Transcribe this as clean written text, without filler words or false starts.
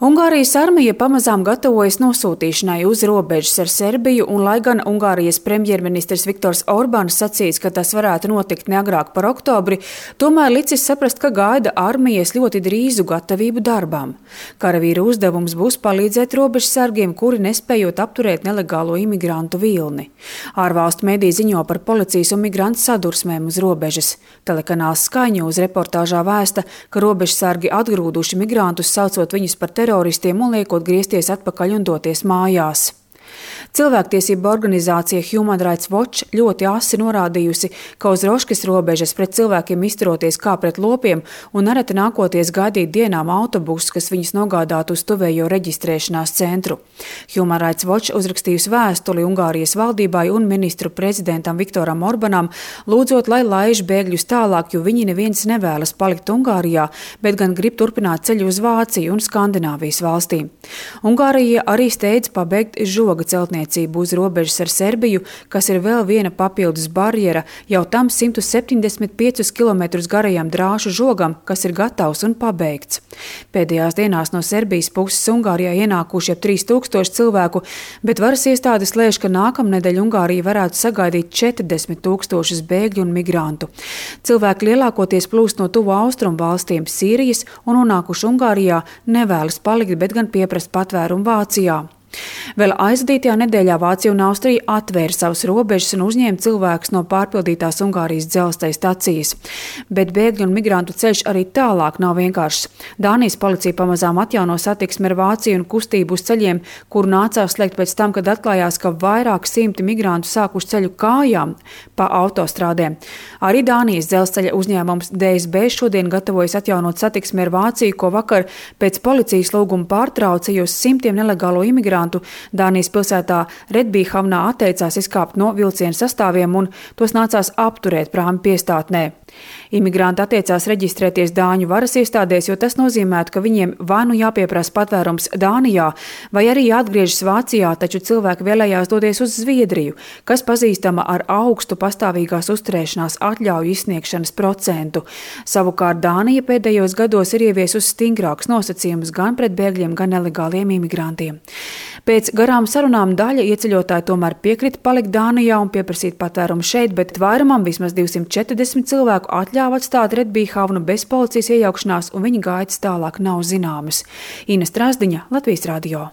Ungārijas armija pamazām gatavojas nosūtīšanai uz robežas ar Serbiju, un lai gan Ungārijas premjerministrs Viktors Orbāns sacīs, ka tas varētu notikt ne agrāk par oktobri, tomēr licis saprast, ka gaida armijas ļoti drīzu gatavību darbām. Karavīru uzdevums būs palīdzēt robežsargiem, kuri nespējot apturēt nelegālo imigrantu vilni. Ārvalstu mediji ziņo par policijas un migrantu sadursmēm uz robežas. Telekanāls Sky News reportāžā vēsta, ka robežsargi atgrūduši migrantus, saucot viņus par teroristiem un liekot griezties atpakaļ un doties mājās. Cilvēktiesība organizācija Human Rights Watch ļoti asi norādījusi, ka uz Roškas robežas pret cilvēkiem izturoties kā pret lopiem un nereti nākoties gaidīt dienām autobusus, kas viņus nogādātu uz tuvējo reģistrēšanās centru. Human Rights Watch uzrakstījusi vēstuli Ungārijas valdībai un ministru prezidentam Viktoram Orbanam, lūdzot, lai laiž bēgļus tālāk, jo viņi neviens nevēlas palikt Ungārijā, bet gan grib turpināt ceļu uz Vāciju un Skandināvijas valstīm. Ungārija arī steidz pabeigt žoga celtniecību uz robežas ar Serbiju, kas ir vēl viena papildus barjera jau tam 175 km garajam drāšu žogam, kas ir gatavs un pabeigts. Pēdējās dienās no Serbijas puses Ungārijā ienākuši ap 3000 cilvēku, bet varas iestādes lēš, ka nākamnedēļ Ungārija varētu sagaidīt 40 000 bēgļu un migrantu. Cilvēki lielākoties plūst no tuvu austrumu valstīm Sīrijas un nonākuši Ungārijā nevēlas palikt, bet gan pieprast patvērumu Vācijā. Vēl aizvadītajā nedēļā Vācija un Austrija atvēra savas robežas un uzņēma cilvēkus no pārpildītās Ungārijas dzelzceļa stacijas. Bet bēgļu un migrantu ceļš arī tālāk nav vienkāršs. Dānijas policija pamazām atjauno satiksmi ar Vāciju un kustību uz ceļiem, kuru nācās slēgt pēc tam, kad atklājās, ka vairāk simti migrantu sākuši ceļu kājām pa autostrādēm. Arī Dānijas dzelzceļa uzņēmums DSB šodien gatavojas atjaunot satiksmi ar Vāciju, ko vakar pēc policijas lūguma pārtrauca, jo simtiem nelegālo imigrantu Dānijas pilsētā Redbīhavnā atteicās izkāpt no vilcienu sastāviem un tos nācās apturēt prāmi piestātnē. Imigranti atteicās reģistrēties Dāņu varas iestādēs, jo tas nozīmētu, ka viņiem vai nu jāpieprasa patvērums Dānijā, vai arī jāatgriežas Vācijā, taču cilvēki vēlējās doties uz Zviedriju, kas pazīstama ar augstu pastāvīgās uzturēšanās atļauju izsniegšanas procentu. Savukārt Dānija pēdējos gados ir ieviesusi stingrākus nosacījumus gan pret bēgļiem, gan nelegāliem imigrantiem. Pēc garām sarunām daļa ieceļotāji tomēr piekrita palikt Dānijā un pieprasīt patvērumu šeit, bet vairumam vismaz 240 cilvēku atļāva atstāt Redbīhavnu bez policijas iejaukšanās, un viņa gaitas tālāk nav zināmas. Ina Strasdiņa, Latvijas radio.